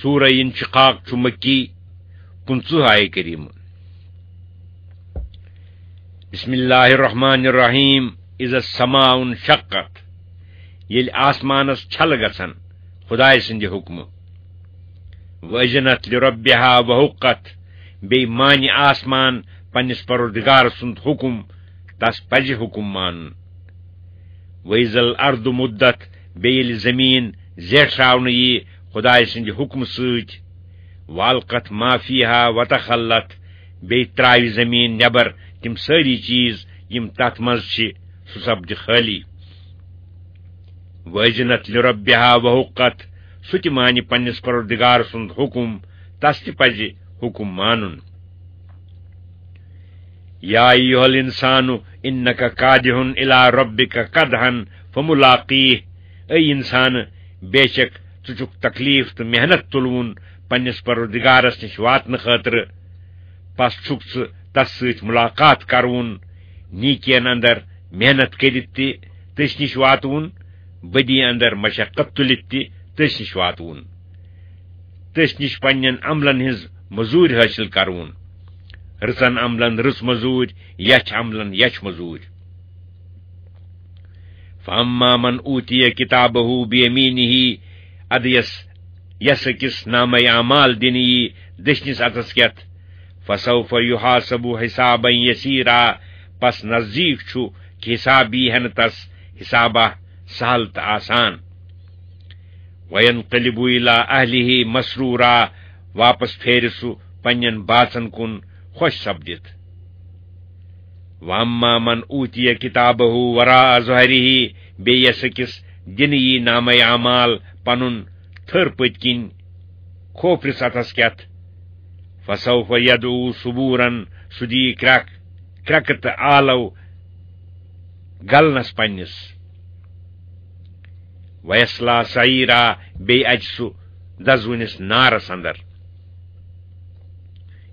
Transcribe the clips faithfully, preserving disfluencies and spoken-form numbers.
سورہ انشقاق چھُ مکی، پٕنٛژٕہ آیہِ کریمہ۔ بسم اللہ الرحمن الرحیم۔ اذا السماء انشقت، ییٚلہِ آسمانس چھلہٕ گژھن خدایہِ سٕنٛدِ حُکمہٕ۔ واذنت لربها وحقت، بیٚیہِ مانہِ آسمان پننِس پروردگار سُنٛد حُکم، تس پزِ حُکم مانُن۔ واذا الارض مدت، بیٚیہِ ییٚلہِ زمین زیٹھراونہٕ یی خدایہِ سٕنٛدِ حُکمہٕ سۭتۍ، والقت ما فیها وتخلت، بیٚیہِ ترٛاوِ زمین نٮ۪بر تِم سٲری چیٖز یِم تتھ منٛز چھِ، سُہ سپدِ خٲلی۔ واذنت لربها وحقت، سُہ تہِ مانہِ پننِس پروردگار سُنٛد حُکم، تس تہِ پزِ حُکم مانُن۔ یا ایھا الانسان انک کادح الی ربک کدحا فملاقیہ، اے انسان، بے شک ژٕ چھُکھ تکلیف تہٕ محنت تُلوُن پننِس پروردگارس نِش واتنہٕ خٲطرٕ، پس چھُکھ ژٕ تس سۭتۍ ملاقات کرٕوُن، نیکین اندر محنت کٔرِتھ تہِ تٔسۍ نِش واتوُن، بدی اندر مشقت تُلِتھ تہِ تٔسۍ نِش واتوُن، تٔسۍ نِش پننٮ۪ن عملن ہٕنٛز مزوٗرۍ حٲصِل کرٕوُن، رٕژن عملن رٕژ مزوٗرۍ، یچھ عملن یچھ مزوٗرۍ۔ فاما من اوتی کتابہ بیمینہ، ادٕ یس، یس أکِس نامہ اعمال دِنہٕ یی دٔچھنِس اتھس کٮ۪تھ، فسوف یحاسب حسابا یسیرا، پس نزدیک چھُ کہِ حساب یی ہٮ۪نہٕ تس حسابہ سہل تہٕ آسان۔ وینقلب الی اہلہ مسرورا، واپس پھیرِ سُہ پننٮ۪ن باژن کُن خۄش سپدِتھ۔ واما من اوتی کتابہ وراء ظہرہ، بیٚیہِ یس أکِس دِنہٕ یی نامہ اعمال پنُن تھٔر پٔتۍ کِنۍ کھوپرِس اتھس کٮ۪تھ، فسوف یدعو ثبورا، سُہ دی کرٛکھ، کرٛکہٕ تہٕ آلو گلنس پننِس۔ ویصلی سعیرا، بیٚیہِ اژِ سُہ دزوٕنِس نارس اندر۔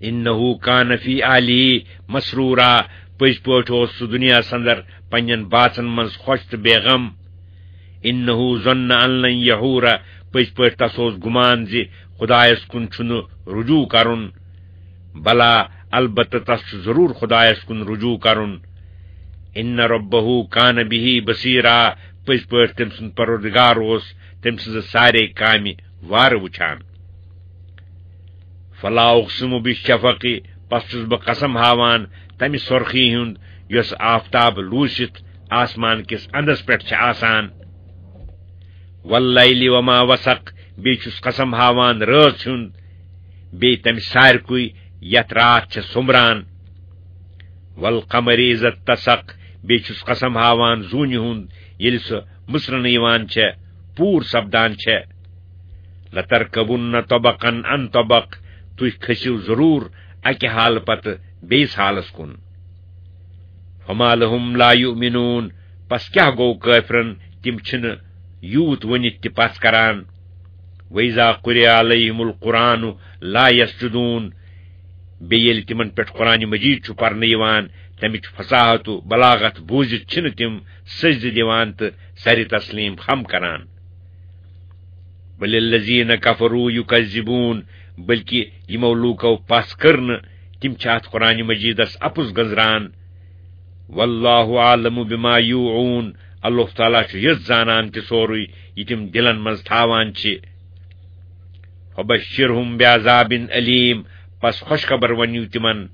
انہ کان فی اہلہ مسرورا، پٔزۍ پٲٹھۍ اوس سُہ دُنیاہس اندر پننٮ۪ن باژن منٛز خۄش تہٕ بے غم۔ انہ ظن ان لن یحور، پٔزۍ پٲٹھۍ تس اوس گُمان زِ خدایس کُن چھُنہٕ رجوع کرُن۔ بلا، البتہ تس چھُ ضرور خدایس کُن رجوع کرُن۔ ان ربہ کان بہ بصیرا، پٔزۍ پٲٹھۍ تٔمۍ سُنٛد پروردگار اوس تٔمۍ سٕنٛزٕ سارے کامہِ وارٕ وٕچھان۔ فلا اقسم بالشفق، پس چھُس بہٕ قسم ہاوان تمہِ سۄرخی ہُنٛد یۄس آفتاب لوٗسِتھ آسمان کِس اندس پٮ۪ٹھ چھِ آسان۔ واللیل وما وسق، بیٚیہِ چھُس قسم ہاوان رٲژ ہُنٛد، بیٚیہِ تمہِ سارکُے یتھ راتھ چھےٚ سوٚمبران۔ والقمر اذا اتسق، بیٚیہِ چھُس قسم ہاوان زوٗنہِ ہُنٛد ییٚلہِ سۄ مٕژرنہٕ یِوان چھےٚ، پوٗر سپدان چھےٚ۔ لترکبن طبقا عن طبق، تُہۍ کھٔسِو ضروٗر اکہِ حالہٕ پتہٕ بیٚیِس حالس کُن۔ فما لهم لا یؤمنون، پس کیٛاہ گوٚو کٲفرن، تِم چھِنہٕ یوٗت ؤنِتھ تہِ پژھ کران۔ وَإِذَا قُرِئَ عَلَيْهِمُ الْقُرْآنُ لَا يَسْجُدُونَ، بیٚیہِ ییٚلہِ تِمن پٮ۪ٹھ قرآن مجید چھُ پرنہٕ یِوان، تَمِچ فصاحت و بلاغت بوٗزِتھ چھِنہٕ تِم سجدٕ دِوان تہٕ سرِ تسلیٖم خم کران۔ بل الذین کفروا یکذبون، بلکہ یِمو لوٗکو پژھ کٔر نہٕ، تِم چھِ اتھ قرآن مجیدس اپُز گنزران۔ واللہ اعلم بما یوعون، اللہ تعالیٰ چھُ یژھ زانان تہِ سورُے یہِ تِم دِلن منٛز تھاوان چھِ۔ فبشرهم بعذاب الیم، پس خوشخبر ؤنِو تِمن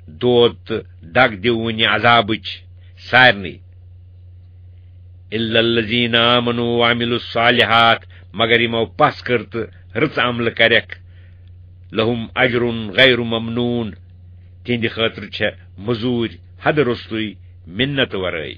دود تہٕ دگ دِوٕنہِ عذابٕچ سارنٕے۔ الا الذین آمنوا وعملوا الصالحات، مگر یِمو پژھ کٔر تہٕ رٕژ عملہٕ کرٮ۪کھ، لہم اجر غیر ممنون، تِہنٛدِ خٲطرٕ چھےٚ مٔزوٗرۍ حدٕ روٚستُے، مِنت ورٲے۔